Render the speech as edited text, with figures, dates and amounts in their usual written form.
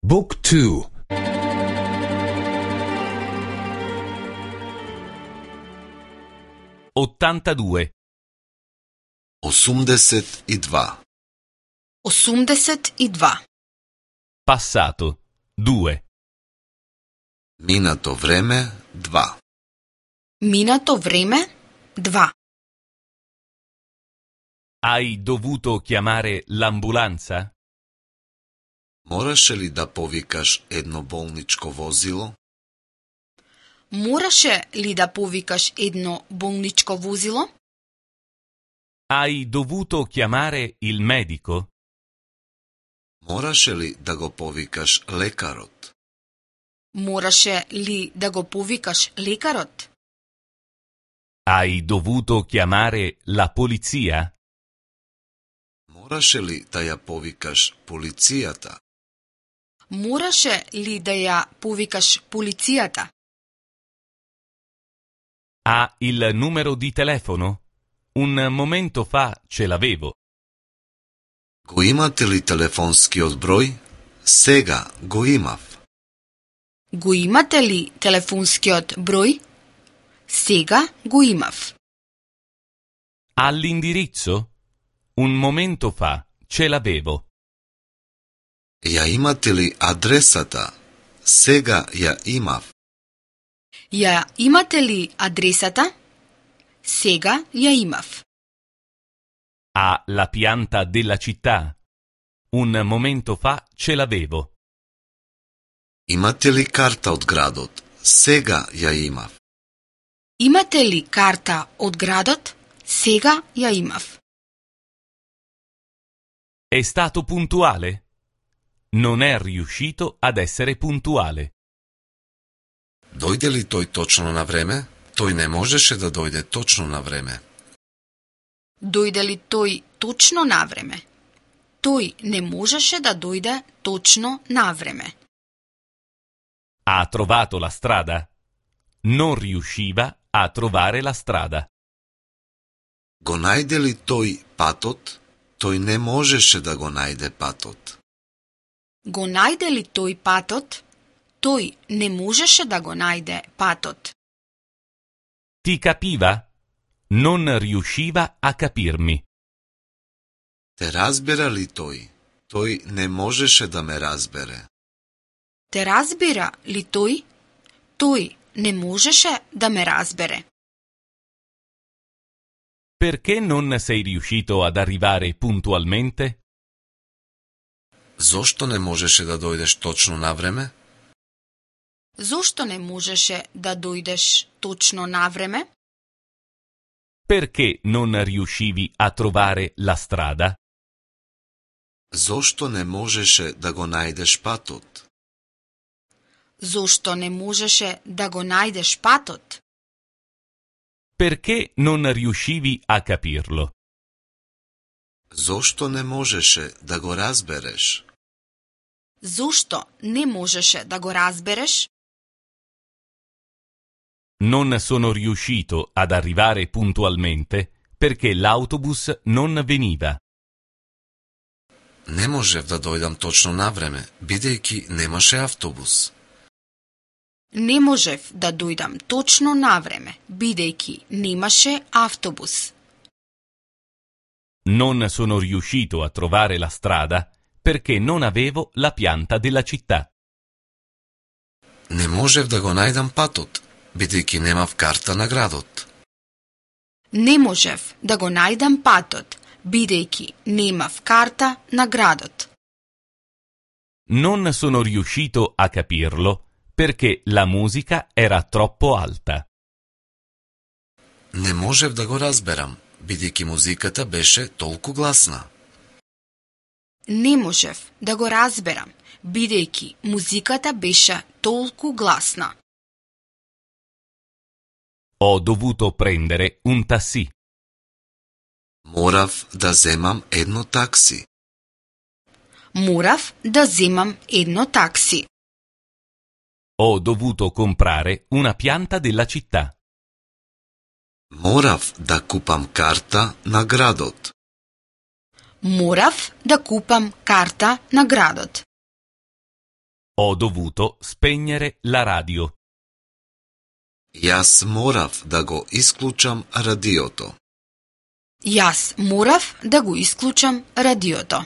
Book 2. 82. 82. 82. Passato 2. Минато време 2. Минато време 2. Hai dovuto chiamare l'ambulanza? Мораше ли да повикаш едно болничко возило? Мораше ли да повикаш едно болничко возило? Hai dovuto chiamare il medico? Мораше ли да го повикаш лекарот? Мораше ли да го повикаш лекарот? Hai dovuto chiamare la polizia? Мораше ли да ја повикаш полицијата? Мораше ли да ја повикаш полицијата? Ha il numero di telefono? Un momento fa ce l'avevo. Го имате ли телефонскиот број? Сега го имав. Го имате ли телефонскиот број? Сега го имав. All'indirizzo? Un momento fa ce l'avevo. Ја имате ли адресата? Сега ја имав. Ја имате ли адресата? Сега ја имав. Ha la pianta della città? Un momento fa ce l'avevo. Имате ли карта од градот? Сега ја имав. Имате ли карта од градот? Сега ја имав. È stato puntuale? Non è riuscito ad essere puntuale. Дојде ли тој точно на време? Тој не можеше да дојде точно на време. Дојде ли тој точно на време? Тој не можеше да дојде точно на време. Ha trovato la strada? Non riusciva a trovare la strada. Го најде ли тој патот? Тој не можеше да го најде патот. Го најде ли тој патот? Тој не можеше да го најде патот. Ti capiva? Non riusciva a capirmi. Те разбира ли тој? Тој не можеше да ме разбере. Те разбира ли тој? Тој не можеше да ме разбере. Perché non sei riuscito ad arrivare puntualmente? Зошто не можеше да дојдеш точно на време? Зошто не можеше да дојдеш точно на време? Perché non riuscivi a trovare la strada? Зошто не можеше да го најдеш патот? Зошто не можеше да го најдеш патот? Perché non riuscivi a capirlo? Зошто не можеше да го разбереш? Зошто не можеше да го разбереш? Non sono riuscito ad arrivare puntualmente perché l'autobus non veniva. Не можев да дојдам точно на време, бидејќи немаше автобус. Не можев да дојдам точно на време, бидејќи немаше автобус. Non sono riuscito a trovare la strada perché non avevo la pianta della città. Не можев да го најдам патот, бидејќи немав карта на градот. Не можев да го најдам патот, бидејќи немав карта на градот. Non sono riuscito a capirlo perché la musica era troppo alta. Не можев да го разберам, бидејќи музиката беше толку гласна. Не можев да го разберам, бидејќи музиката беше толку гласна. Ho dovuto prendere un taxi. Морав да земам едно такси. Морав да земам едно такси. Ho dovuto comprare una pianta della città. Морав да купам карта на градот. Морав да купам карта на градот. Ho dovuto spegnere la radio. Јас морав да го исклучам радиото. Јас морав да го исклучам радиото.